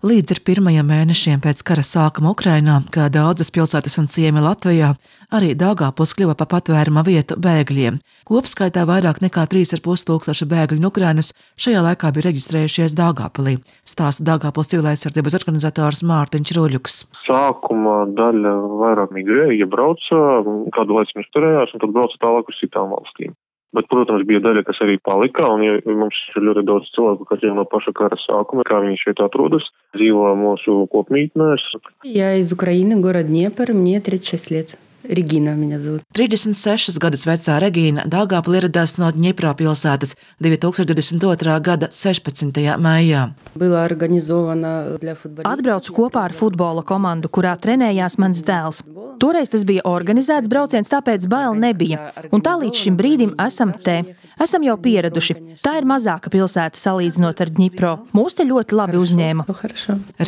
Līdz ar pirmajiem mēnešiem pēc kara sākuma Ukrainā, kā daudzas pilsētas un ciemi Latvijā, arī Daugavpils kļuva par patvēruma vietu bēgļiem. Kopskaitā vairāk nekā 3,5 tūkstoši bēgļu no Ukrainas šajā laikā bija reģistrējušies Daugavpilī, stāsta Daugavpils civilaizsardzības organizators Mārtiņš Ruļuks. Sākuma daļa vairāk migrēja, ja brauca, kādu laiku mēs turējās, un tad brauca tālāk uz citām valstīm. Bet, protams, bija daļa, kas arī palika, un ja mums ir ļoti daudz cilvēku, kas jau no paša kara sākuma, kā viņi šeit atrodas, dzīvo mūsu kopmītnēs. Я из Украины, город Днепр, мне 36 лет. Regina меня зовут. 36 gadus vecā Regīna Daugavpilī ieradās no Dņepro pilsētas 2022. gada 16. maijā. Atbraucu kopā ar futbola komandu, kurā trenējās mans dēls. Toreiz tas bija organizēts brauciens, tāpēc bail nebija. Un tā līdz šim brīdim esam te. Esam jau pieraduši. Tā ir mazāka pilsēta salīdzinot ar Dņipro. Mūs te ļoti labi uzņēma.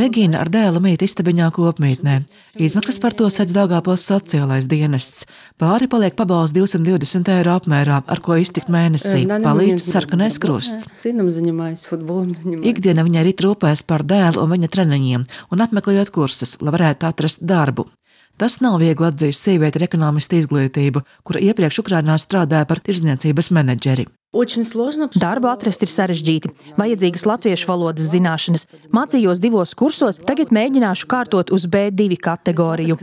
Regīna ar dēlu mīt istabiņā kopmītnē. Izmaksas par to sedz Daugavpils sociālais dienests. Pāri paliek pabalsts 220 eiro apmērā, ar ko iztikt mēnesī. Palīdz Sarkanais Krusts. Ikdiena viņai rit rūpēs par dēlu un viņa treniņiem un apmeklējot kursus, lai varētu atrast darbu. Tas nav viegli atzīst sievieti ar ekonomistu izglītību, kura iepriekš Ukrainā strādāja par tirdzniecības menedžeri. Darbu atrast ir sarežģīti. Vajadzīgas latviešu valodas zināšanas. Mācījos 2 kursos, tagad mēģināšu kārtot uz B2 kategoriju.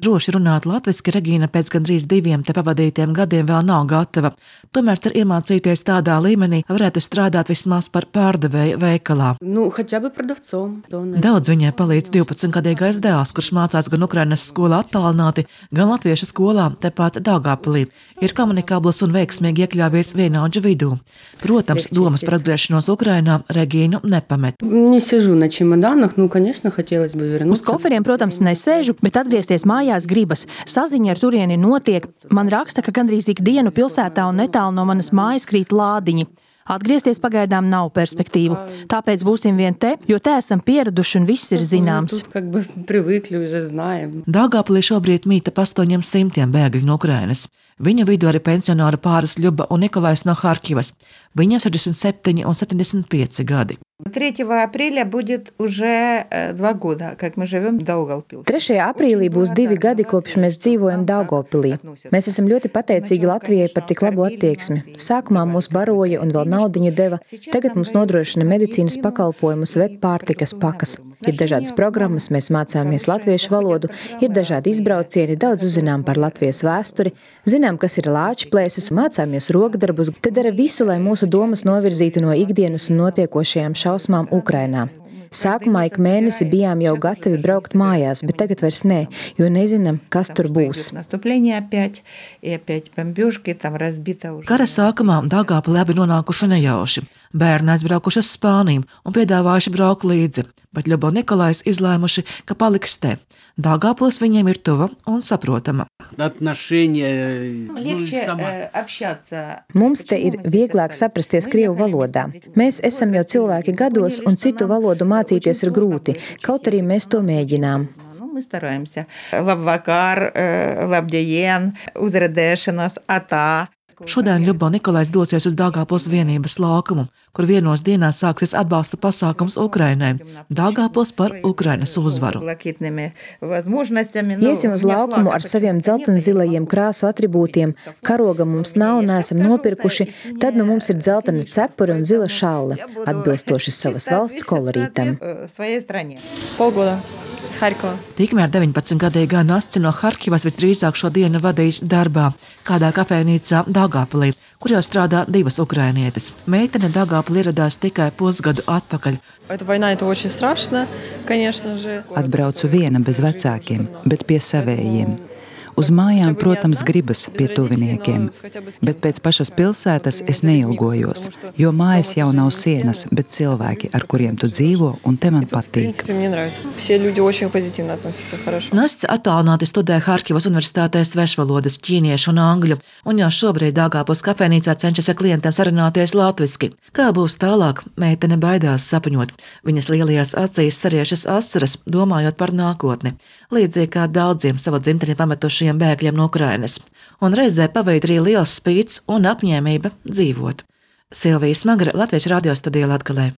Droši runāt latviski Regīna pēc gandrīz 2 te pavadītiem gadiem vēl nav gatava. Tomēr cer iemācīties tādā līmenī, varētu strādāt vismaz par pārdevēju veikalā. Daudz viņai palīdz 12-gadīgais dēls, kurš mācās gan Ukrainas skolā attālināti, gan latviešu skolā tepat Daugavpilī. Ir komunikabls un veiksmīgi iekļāvies vienaudžu vidū. Protams, domas par atgriešanos Ukrainā Regīnu nepamet. Uz koferiem, protams, nesēžu, bet atgriezties mājās gribas. Saziņa ar turieni notiek. Man raksta, ka gandrīz ikdienu pilsētā un netālu no manas mājas krīt lādiņi. Atgriezties pagaidām nav perspektīvu. Tāpēc būsim vien te, jo te esam pieraduši un viss ir zināms. Daugavpilī šobrīd mīt ap 800 bēgļu no Ukrainas. Viņa vidū arī pensionāri pāris Ļuba un Nikolais no Harkivas. Viņam 67 un 75 gadi. 3 aprīlī būs 2 gadi, kopš mēs dzīvojam Daugavpilī. Mēs esam ļoti pateicīgi Latvijai par tik labu attieksmi. Sākumā mūs baroja un vēl naudiņu deva. Tagad mums nodrošina medicīnas pakalpojumus, ved pārtikas pakas. Ir dažādas programmas, mēs mācāmies latviešu valodu, ir dažādi izbraucieni, daudz uzzinām par Latvijas vēsturi, zinām, kas ir lāču plēsis, mācāmies rokdarbus, te dara visu, lai mūsu domas novirzītu no ikdienas un notiekošajām šausmām Ukrainā. Sākumā ik mēnesi bijām jau gatavi braukt mājās, bet tagad vairs nē, jo nezinām, kas tur būs. Kara sākumā Daugavpilī abi nonākuši nejauši. Bērni aizbraukuši uz Spāniju un piedāvājuši braukt līdzi, bet Ļuba un Nikolais izlēmuši, ka paliks te. Daugavpils viņiem ir tuva un saprotama. Mums te ir vieglāk saprasties krievu valodā. Mēs esam jau cilvēki gados, un citu valodu mācīties ir grūti, kaut arī mēs to mēģinām. Labvakar, labdien, uzrādēšanās, atā. Šodien Ļuba un Nikolais dosies uz Daugavpils vienības laukumu, kur vienos dienās sāksies atbalsta pasākums Ukrainai. Daugavpils par Ukrainas uzvaru. Iesim uz laukumu ar saviem dzeltenzilajiem krāsu atribūtiem. Karoga mums nav, neesam nopirkuši, tad nu mums ir dzeltena cepuri un zila šalle, atbilstoši savas valsts kolorītam. Tikmēr 19-gadīgā Nasce no Harkivas visdrīzāk šo dienu vadīs darbā kādā kafejnīcā Daugavpilī, kur jau strādā 2 ukrainietes. Meitene Daugavpilī ieradās tikai pusgadu atpakaļ. Atbraucu viena bez vecākiem, bet pie savējiem. Uz mājām, protams, gribas pie tuviniekiem, bet pēc pašas pilsētas es neilgojos, jo mājas jau nav sienas, bet cilvēki, ar kuriem tu dzīvo, un te man patīk. Nasce attālināti studē Harkivas universitātē svešvalodas, ķīniešu un angļu, un jau šobrīd Daugavpils kafejnīcā cenšas ar klientiem sarunāties latviski. Kā būs tālāk, meitene baidās sapņot. Viņas lielajās acīs sariešas asaras, domājot par nākotni. Līdzīgi kā daudziem savu dzimteni pametušajiem bēgļiem no Ukrainas. Un reizē paveikt arī liels spīts un apņēmība dzīvot. Silvija Smagre, Latvijas radio studija Latgalē.